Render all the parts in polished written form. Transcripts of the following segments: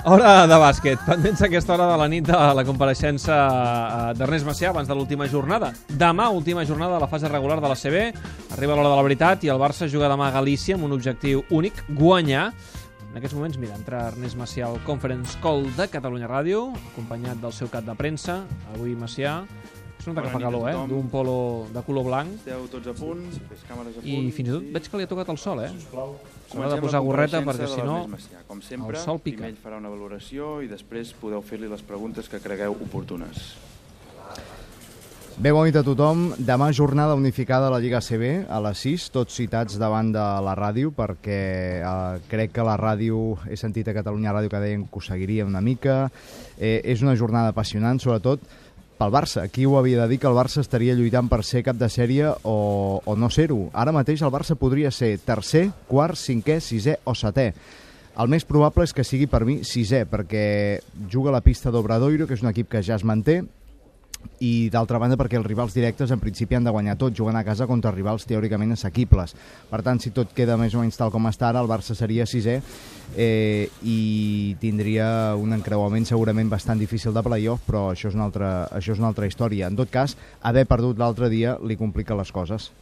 Hora de bàsquet. Pendents a aquesta hora de la nit de la compareixença d'Ernest Macià abans de l'última jornada. Demà, última jornada de la fase regular de la CB. Arriba l'hora de la veritat i el Barça juga demà a Galícia amb un objectiu únic, guanyar. En aquests moments, mira, entra Ernest Macià al Conference Call de Catalunya Ràdio, acompanyat del seu cap de premsa. Avui Macià es nota que fa calor, d'un polo de color blanc. Esteu tots a punt, càmeres a punt. I fins i tot veig que li ha tocat el sol, S'haurà de posar gorreta perquè si no com sempre, el sol pica. Primer ell farà una valoració i després podeu fer-li les preguntes que cregueu oportunes. Bé, bona nit a tothom. Demà jornada unificada a la Lliga CB a les 6, tots citats davant de la ràdio perquè crec que la ràdio, he sentit a Catalunya Ràdio que deien que ho seguiria una mica. És una jornada apassionant, sobretot pel Barça. Qui ho havia de dir que el Barça estaria lluitant per ser cap de sèrie o no ser-ho? Ara mateix el Barça podria ser tercer, quart, cinquè, sisè o setè. El més probable és que sigui per mi sisè, perquè juga a la pista d'Obradoiro, que és un equip que ja es manté, i d'altra banda perquè els rivals directes en principi han de guanyar tot, jugant a casa contra rivals teòricament assequibles. Per tant, si tot queda més o menys tal com està ara, el Barça seria sisè i tindria un encreuament segurament bastant difícil de playoff, però això és una altra història. En tot cas, haver perdut l'altre dia li complica les coses.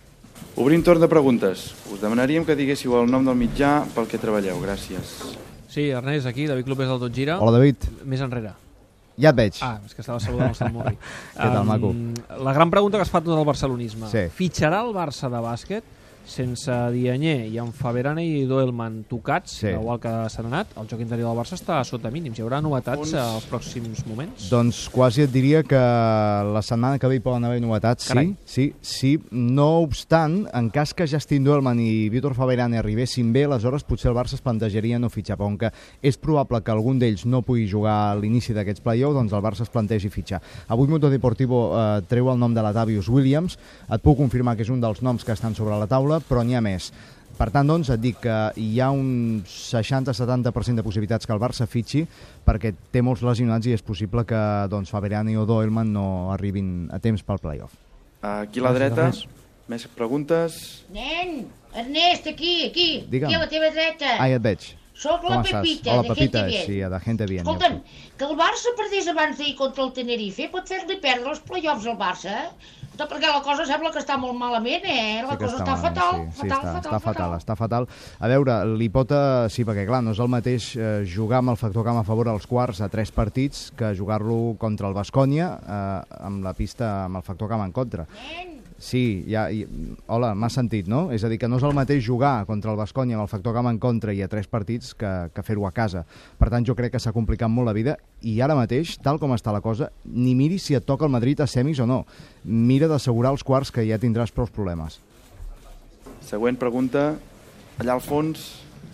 Obrim torn de preguntes. Us demanaríem que diguéssiu el nom del mitjà pel que treballeu. Gràcies. Sí, Ernest, aquí, David Clopés del Tot Gira. Hola, David. Més enrere. Ja et veig. És que estava saludant el Sant Murri. Què tal, maco? La gran pregunta que es fa tot el barcelonisme. Sí. Fitxarà el Barça de bàsquet sense Diagne i amb Faberane i Doelman tocats, igual que s'han anat? El joc interior del Barça està sota mínims. Hi haurà novetats als pròxims moments? Doncs quasi et diria que la setmana que ve hi poden haver novetats, sí. No obstant, en cas que Justin Doelman i Víctor Faberane arribessin bé, aleshores potser el Barça es plantejaria no fitxar, però com que és probable que algun d'ells no pugui jugar a l'inici d'aquests play-offs, doncs el Barça es plantegi fitxar. Avui Mundo Deportivo treu el nom de l'Atavius Williams, et puc confirmar que és un dels noms que estan sobre la taula, però n'hi ha més. Per tant, doncs, et dic que hi ha un 60-70% de possibilitats que el Barça fitxi perquè té molts lesionats i és possible que Faberane o Doelman no arribin a temps pel play-off. Aquí a la dreta, més preguntes. Nen, Ernest, aquí. Digue'm. Aquí a la teva dreta. Ja et veig. Soc la Pepita, Hola, de Pepita, Gente Bien. sí, de Gente Bien. Escolta'm, que el Barça perdés abans d'ahir contra el Tenerife pot fer-li perdre els play-offs al Barça, perquè la cosa sembla que està molt malament, La cosa està fatal, està fatal. A veure, l'hipota, sí, perquè clar, no és el mateix jugar amb el factor camp a favor als quarts a 3 partits que jugar-lo contra el Baskonia amb la pista amb el factor camp en contra. Sí, hola, m'has sentit, no? És a dir, que no és el mateix jugar contra el Baskonia amb el factor camp en contra i a 3 partits que fer-ho a casa. Per tant, jo crec que s'ha complicat molt la vida i ara mateix, tal com està la cosa, ni miri si et toca el Madrid a semis o no. Mira d'assegurar els quarts que ja tindràs prou problemes. Següent pregunta, allà al fons.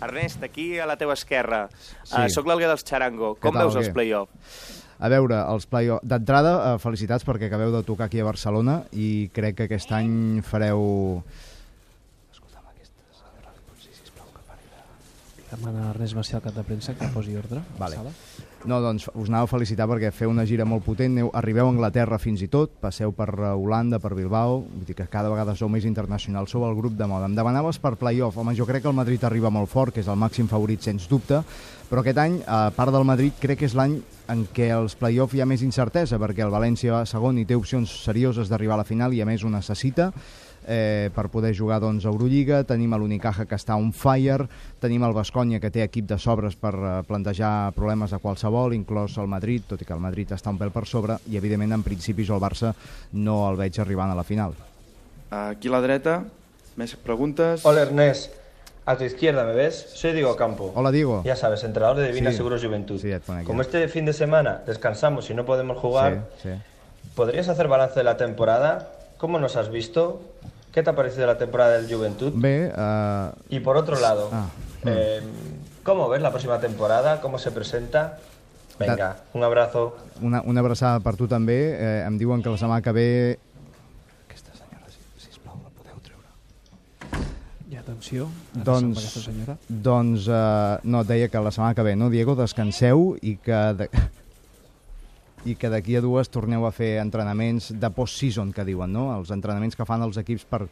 Ernest, aquí a la teva esquerra. Soc l'Alguer dels Charango. Com veus els play-offs? A veure, els play-offs... D'entrada, felicitats perquè acabeu de tocar aquí a Barcelona i crec que aquest any fareu... Escolta'm, aquesta senyora, li pots dir, sisplau, que pari de... Demana Ernest Macià al cap de premsa que posi ordre a la sala. No, doncs us anava a felicitar perquè feu una gira molt potent, arribeu a Anglaterra fins i tot, passeu per Holanda, per Bilbao, vull dir que cada vegada sou més internacionals, sou el grup de moda. Em demanaves per play-off, home, jo crec que el Madrid arriba molt fort, que és el màxim favorit sens dubte, però aquest any, a part del Madrid, crec que és l'any en què els play-off hi ha més incertesa, perquè el València va segon i té opcions serioses d'arribar a la final i a més ho necessita per poder jugar a Eurolliga. Tenim l'Unicaja que està on fire, tenim el Baskonia que té equip de sobres per plantejar problemes a qualsevol, inclòs el Madrid, tot i que el Madrid està un pèl per sobre i evidentment en principi jo el Barça no el veig arribant a la final. Aquí a la dreta, més preguntes. Hola Ernest, a tu izquierda, ¿me ves? Soy Diego Campo. Hola Diego. Ya sabes, entrenador de Divina Seguros Juventud. Sí, como este fin de semana descansamos y no podemos jugar, ¿podrías hacer balance de la temporada? ¿Cómo nos has visto? ¿Qué te ha parecido la temporada del Juventud? Y por otro lado, ¿cómo ves la próxima temporada? ¿Cómo se presenta? Venga, un abrazo. Una abraçada per tu també. Em diuen que la setmana que ve... Aquesta senyora, sisplau, la podeu treure. I atenció, amb aquesta senyora. Doncs, no, deia que la setmana que ve, no, Diego, descanseu i que... i que d'aquí a 2 torneu a fer entrenaments de post-season, que diuen, no? Els entrenaments que fan els equips per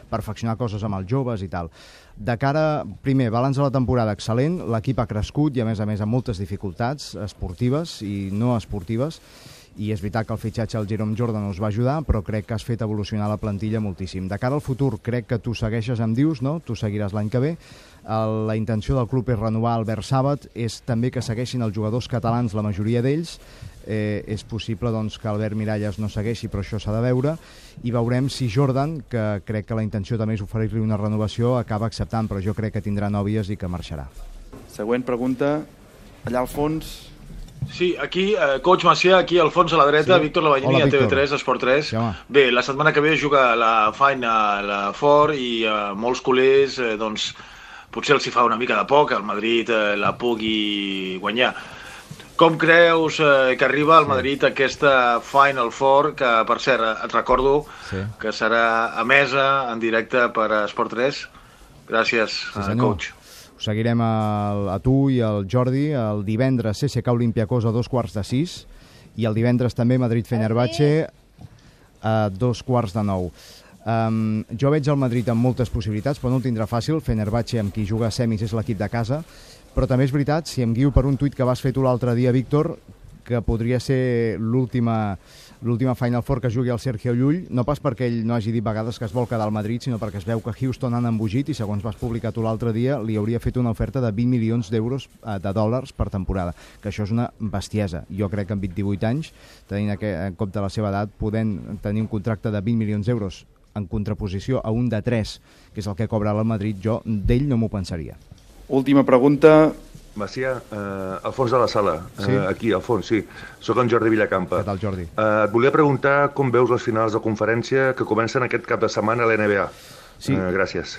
perfeccionar coses amb els joves i tal. De cara, primer, balanç de la temporada excel·lent, l'equip ha crescut i a més amb moltes dificultats esportives i no esportives, i és veritat que el fitxatge al Jerome Jordan us va ajudar, però crec que has fet evolucionar la plantilla moltíssim. De cara al futur, crec que tu segueixes amb Dius, no? Tu seguiràs l'any que ve. La intenció del club és renovar Albert Sàbat, és també que segueixin els jugadors catalans, la majoria d'ells. És possible doncs, que Albert Miralles no segueixi, però això s'ha de veure, i veurem si Jordan, que crec que la intenció també és oferir-li una renovació, acaba acceptant, però jo crec que tindrà nòvies i que marxarà. Següent pregunta, allà al fons. Sí, aquí, coach Macià, aquí al fons a la dreta, sí. Víctor Lavallini, a TV3, Esport 3. Sí, bé, la setmana que ve juga la Final Four i molts culers, doncs, potser els hi fa una mica de por que el Madrid la pugui guanyar. Com creus que arriba al Madrid aquesta Final Four, que, per cert, et recordo que serà emesa en directe per Esport 3? Gràcies, coach. Us seguirem a tu i al Jordi el divendres CSKA Olympiacos a 6:15 i el divendres també Madrid-Fenerbahçe a 8:45. Jo veig el Madrid amb moltes possibilitats, però no el tindrà fàcil. Fenerbahçe, amb qui juga a semis, és l'equip de casa, però també és veritat, si em guio per un tuit que vas fer tu l'altre dia, Víctor, que podria ser l'última Final Four que jugui el Sergio Llull, no pas perquè ell no hagi dit vegades que es vol quedar al Madrid, sinó perquè es veu que Houston han embogit i, segons vas publicar tu l'altre dia, li hauria fet una oferta de 20 milions d'euros de dòlars per temporada, que això és una bestiesa. Jo crec que amb 28 anys, tenint en compte la seva edat, podent tenir un contracte de 20 milions d'euros en contraposició a un de 3, que és el que cobra el Madrid, jo d'ell no m'ho pensaria. Última pregunta. Macià, al fons de la sala, aquí, al fons, sí. Soc en Jordi Villacampa. Què tal, Jordi? Et volia preguntar com veus les finals de conferència que comencen aquest cap de setmana a l'NBA. Sí. Gràcies.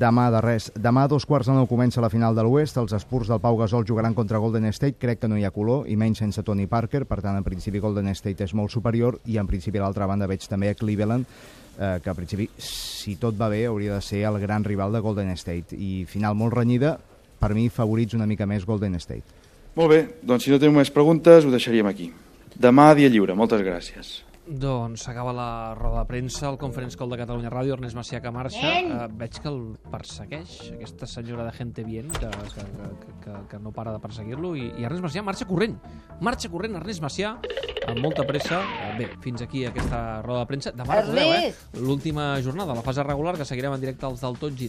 Demà de res. Demà a 2:15 comença la final de l'Oest. Els Spurs del Pau Gasol jugaran contra Golden State. Crec que no hi ha color, i menys sense Tony Parker. Per tant, en principi, Golden State és molt superior, i en principi, a l'altra banda, veig també a Cleveland, que en principi, si tot va bé, hauria de ser el gran rival de Golden State. I final molt renyida. Per mi, favorits una mica més Golden State. Molt bé, doncs si no tenim més preguntes, ho deixaríem aquí. Demà, dia lliure. Moltes gràcies. Doncs s'acaba la roda de premsa, el Conference Call de Catalunya Ràdio, Ernest Macià que marxa. Veig que el persegueix aquesta senyora de gente bien, que no para de perseguir-lo, i Ernest Macià marxa corrent, Ernest Macià, amb molta pressa. Bé, fins aquí aquesta roda de premsa. Demà recordeu, l'última jornada, la fase regular, que seguirem en directe als del Tot Gira.